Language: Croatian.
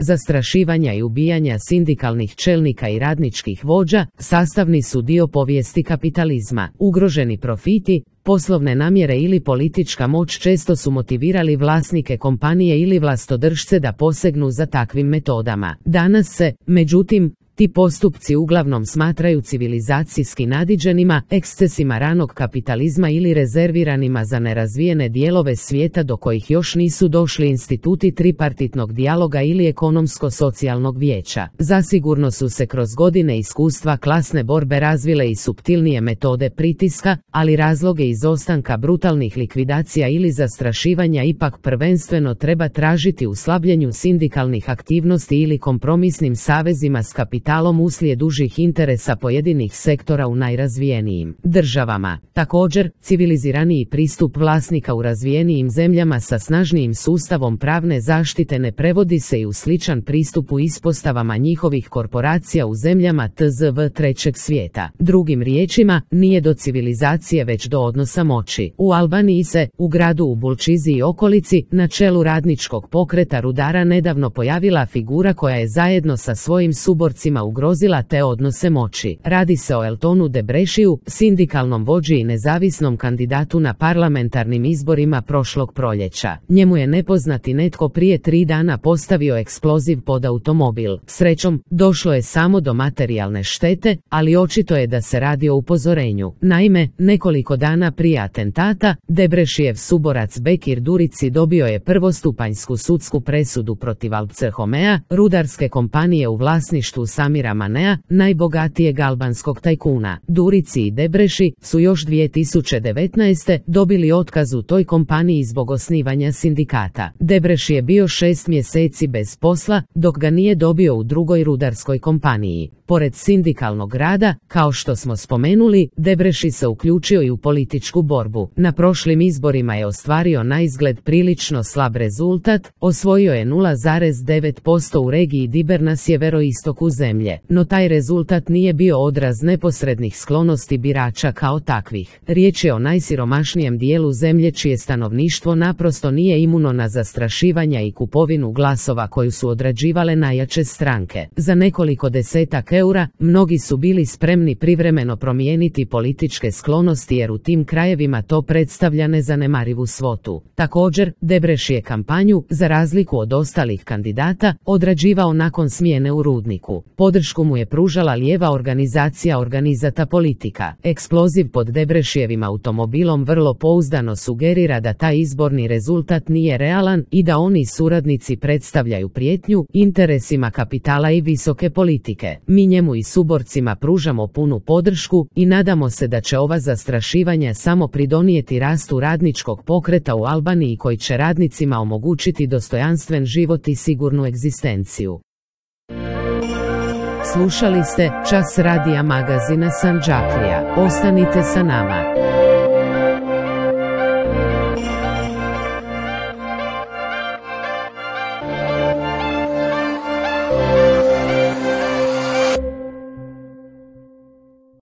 zastrašivanja i ubijanja sindikalnih čelnika i radničkih vođa sastavni su dio povijesti kapitalizma. Ugroženi profiti, poslovne namjere ili politička moć često su motivirali vlasnike kompanije ili vlastodržce da posegnu za takvim metodama. Danas se, međutim, ti postupci uglavnom smatraju civilizacijski nadiđenima, ekscesima ranog kapitalizma ili rezerviranima za nerazvijene dijelove svijeta do kojih još nisu došli instituti tripartitnog dijaloga ili ekonomsko-socijalnog vijeća. Zasigurno su se kroz godine iskustva klasne borbe razvile i suptilnije metode pritiska, ali razloge izostanka brutalnih likvidacija ili zastrašivanja ipak prvenstveno treba tražiti u slabljenju sindikalnih aktivnosti ili kompromisnim savezima s kapitalom uslijed dužih interesa pojedinih sektora u najrazvijenijim državama. Također, civiliziraniji pristup vlasnika u razvijenijim zemljama sa snažnijim sustavom pravne zaštite ne prevodi se i u sličan pristup u ispostavama njihovih korporacija u zemljama TZV trećeg svijeta. Drugim riječima, nije do civilizacije već do odnosa moći. U Albaniji se, u gradu u Bulčizi i okolici, na čelu radničkog pokreta rudara nedavno pojavila figura koja je zajedno sa svojim suborcima ugrozila te odnose moći. Radi se o Eltonu Debrešiju, sindikalnom vođi i nezavisnom kandidatu na parlamentarnim izborima prošlog proljeća. Njemu je nepoznati netko prije 3 dana postavio eksploziv pod automobil. Srećom, došlo je samo do materijalne štete, ali očito je da se radi o upozorenju. Naime, nekoliko dana prije atentata, Debrešijev suborac Bekir Durici dobio je prvostupanjsku sudsku presudu protiv Alpcerhomea, rudarske kompanije u vlasništvu Samira Manea, najbogatijeg albanskog tajkuna. Durici i Debreši su još 2019. dobili otkaz u toj kompaniji zbog osnivanja sindikata. Debreši je bio 6 mjeseci bez posla, dok ga nije dobio u drugoj rudarskoj kompaniji. Pored sindikalnog rada, kao što smo spomenuli, Debreši se uključio i u političku borbu. Na prošlim izborima je ostvario naizgled prilično slab rezultat, osvojio je 0,9% u regiji Diber na sjeveroistoku zemlje. No taj rezultat nije bio odraz neposrednih sklonosti birača kao takvih. Riječ je o najsiromašnijem dijelu zemlje čije stanovništvo naprosto nije imuno na zastrašivanja i kupovinu glasova koju su odrađivale najjače stranke. Za nekoliko desetak eura, mnogi su bili spremni privremeno promijeniti političke sklonosti jer u tim krajevima to predstavlja nezanemarivu svotu. Također, Debreši je kampanju, za razliku od ostalih kandidata, odrađivao nakon smjene u rudniku. Podršku mu je pružala lijeva organizacija Organizata politika. Eksploziv pod Debrešijevim automobilom vrlo pouzdano sugerira da taj izborni rezultat nije realan i da oni suradnici predstavljaju prijetnju interesima kapitala i visoke politike. Mi njemu i suborcima pružamo punu podršku i nadamo se da će ova zastrašivanja samo pridonijeti rastu radničkog pokreta u Albaniji koji će radnicima omogućiti dostojanstven život i sigurnu egzistenciju. Slušali ste Čas radija magazina Sandžaklija. Ostanite sa nama.